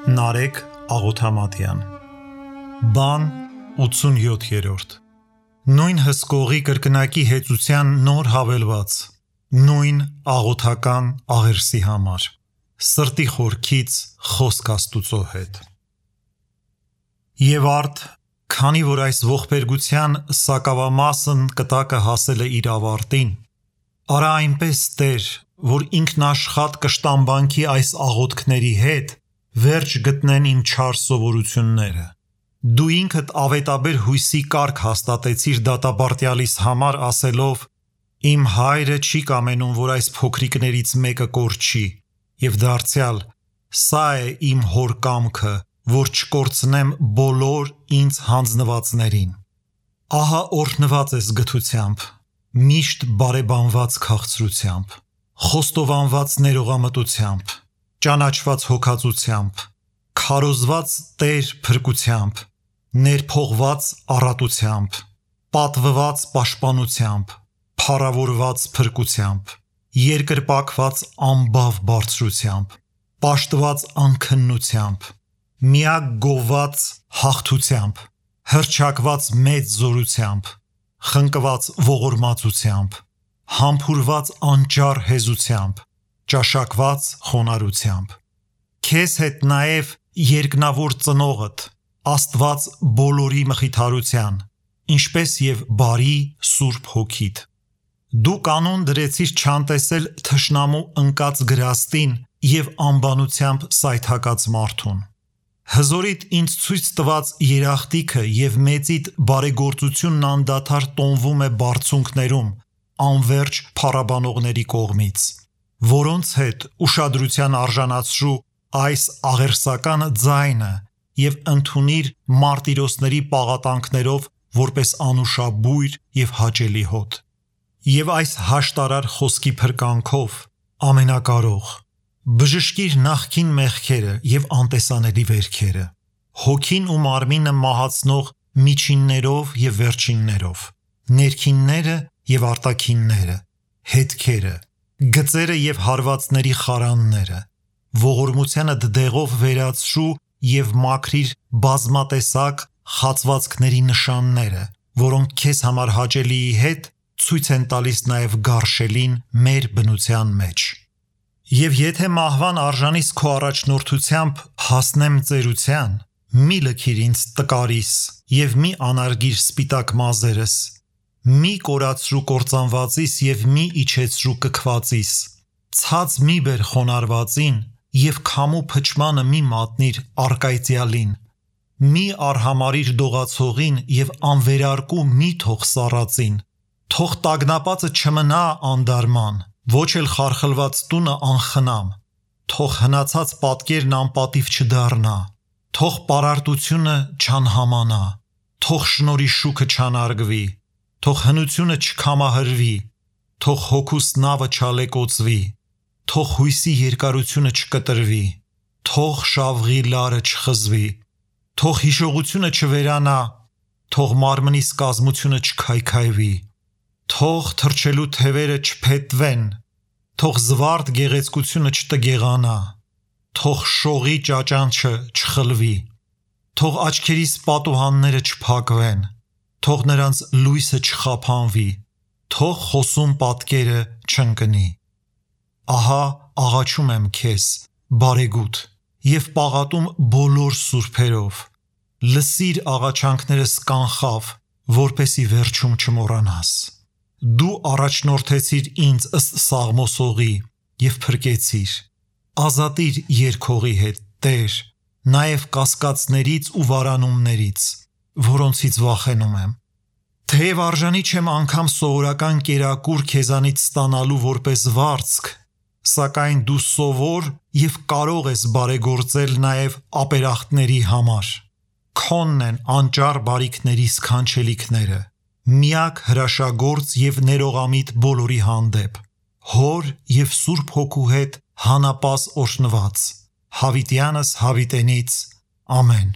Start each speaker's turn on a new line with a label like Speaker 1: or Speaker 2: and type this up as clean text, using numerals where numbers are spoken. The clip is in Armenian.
Speaker 1: Նարեկ Աղոթամատյան Բան 87-րդ Նույն հսկողի կրկնակի հեծության նոր հավելված Նույն աղոթական աղերսի համար Սրտի խորքից խոսք Աստուծո հետ Եվ արդ, քանի որ այս ողբերգության սակավամասն կտակը հասել է իր ավարտին Արա այնպես Տեր, որ ինքնաշխատ կշտամբանքի այս աղոթքների հետ վերջ գտնեն իմ չար սովորությունները Դու ինքդ ավետաբեր հույսի կարգ հաստատեցիր դատապարտյալիս համար ասելով Իմ հայրը չի կամենում, որ այս փոքրիկներից մեկը կորչի և դարձյալ Սա է իմ հոր կամքը, որ չկորցնեմ բոլոր ինձ հանձնվածներին Ահա օրհնված ես գթությամբ, միշտ բարեբանված քաղցրությամբ, խոստովանված ներողամտությամբ, ճանաչված հոգածությամբ, քարոզված Տեր փրկությամբ, ներփողված առատությամբ, պատվված պաշտպանությամբ, փառավորված փրկությամբ, երկրպագված ամբավ բարձրությամբ, պաշտված անքննությամբ, միակ գովված հաղթությամբ, հռչակված մեծ զորությամբ, խնկված ողորմածությամբ, համբուրված անճար հեզությամբ, ճաշակված խոնարհությամբ, քեզ հետ նաև երկնավոր ծնողդ, Աստված բոլորի մխիթարության, ինչպես և բարի Սուրբ Հոգիդ, դու կանոն դրեցիր չանտեսել թշնամու ընկած գրաստին և անբանությամբ սայթաքած մարդուն, հզորիդ ինձ ցույց տված երախտիքը և մեծիդ բարեգործությունն անդադար տոնվում է բարձունքներում, անվերջ փառաբանողների կողմից, որոնց հետ ուշադրության արժանացրու այս աղերսական ձայնը և ընդունիր մարտիրոսների պաղատանքներով որպես անուշաբույր և հաճելի հոտ և այս հաշտարար խոսքի փրկանքով ամենակարող բժշկիր նախկին մեղքերը և անտեսանելի վերքերը հոգին ու մարմինը մահացնող միջիններով և վերջիններով ներքինները և արտաքինները հետքերը գծերը և հարվածների խարանները ողորմությանդ դեղով վերացրու և մաքրիր բազմատեսակ խացվածքների նշանները որոնք քեզ համար հաճելիի հետ ցույց են տալիս նաև գարշելին մեր բնության մեջ և եթե մահվան արժանիս քո առաջնորդությամբ հասնեմ ծերության մի լքիր ինձ տկարիս և մի անարգիր սպիտակ մազերս մի կորացրու կործանվածիս և մի իջեցրու կքվածիս ցած մի բեր խոնարհվածին և քամու փչմանը մի մատնիր առկայծյալին մի արհամարհիր դողացողին և անվերարկու մի թող սառածին թող տագնապածը չմնա անդարման ոչ էլ խարխլված տունը անխնամ թող հնացած պատկերն անպատիվ չդառնա թող պարարտությունը չանհամանա թող շնորհի շուքը չանարգվի թող հնությունը չքամահրվի թող հոգուս նավը չալեկոծվի թող հույսի երկարությունը չկտրվի թող շավղի լարը չխզվի թող հիշողությունը չվերանա թող մարմնիս կազմությունը չքայքայվի թող թռչելու թևերը չփետվեն թող զվարթ գեղեցկությունը չտգեղանա թող շողի ճաճանչը չխլվի թող աչքերիս պատուհանները չփակվեն թող նրանց լույսը չխափանվի թող խոսուն պատկերը չընկնի ահա աղաչում եմ քեզ բարեգութ և պաղատում բոլոր սուրբերով լսիր աղաչանքներս կանխավ որպեսի վերջում չմոռանաս դու առաջնորդեցիր ինձ ըստ Սաղմոսողի և փրկեցիր ազատիր երգողի հետ Տեր նաև կասկածներից ու վարանումներից որոնցից վախենում եմ թեև արժանի չեմ անգամ սովորական կերակուր քեզանից ստանալու որպես վարձք սակայն դու սովոր և կարող ես բարեգործել նաև ապերախտների համար քոնն են անճար բարիքների սքանչելիքները միակ հրաշագործ և ներողամիտ բոլորի հանդեպ Հոր և Սուրբ Հոգու հետ հանապազ օրհնված հավիտյանս հավիտենից ամեն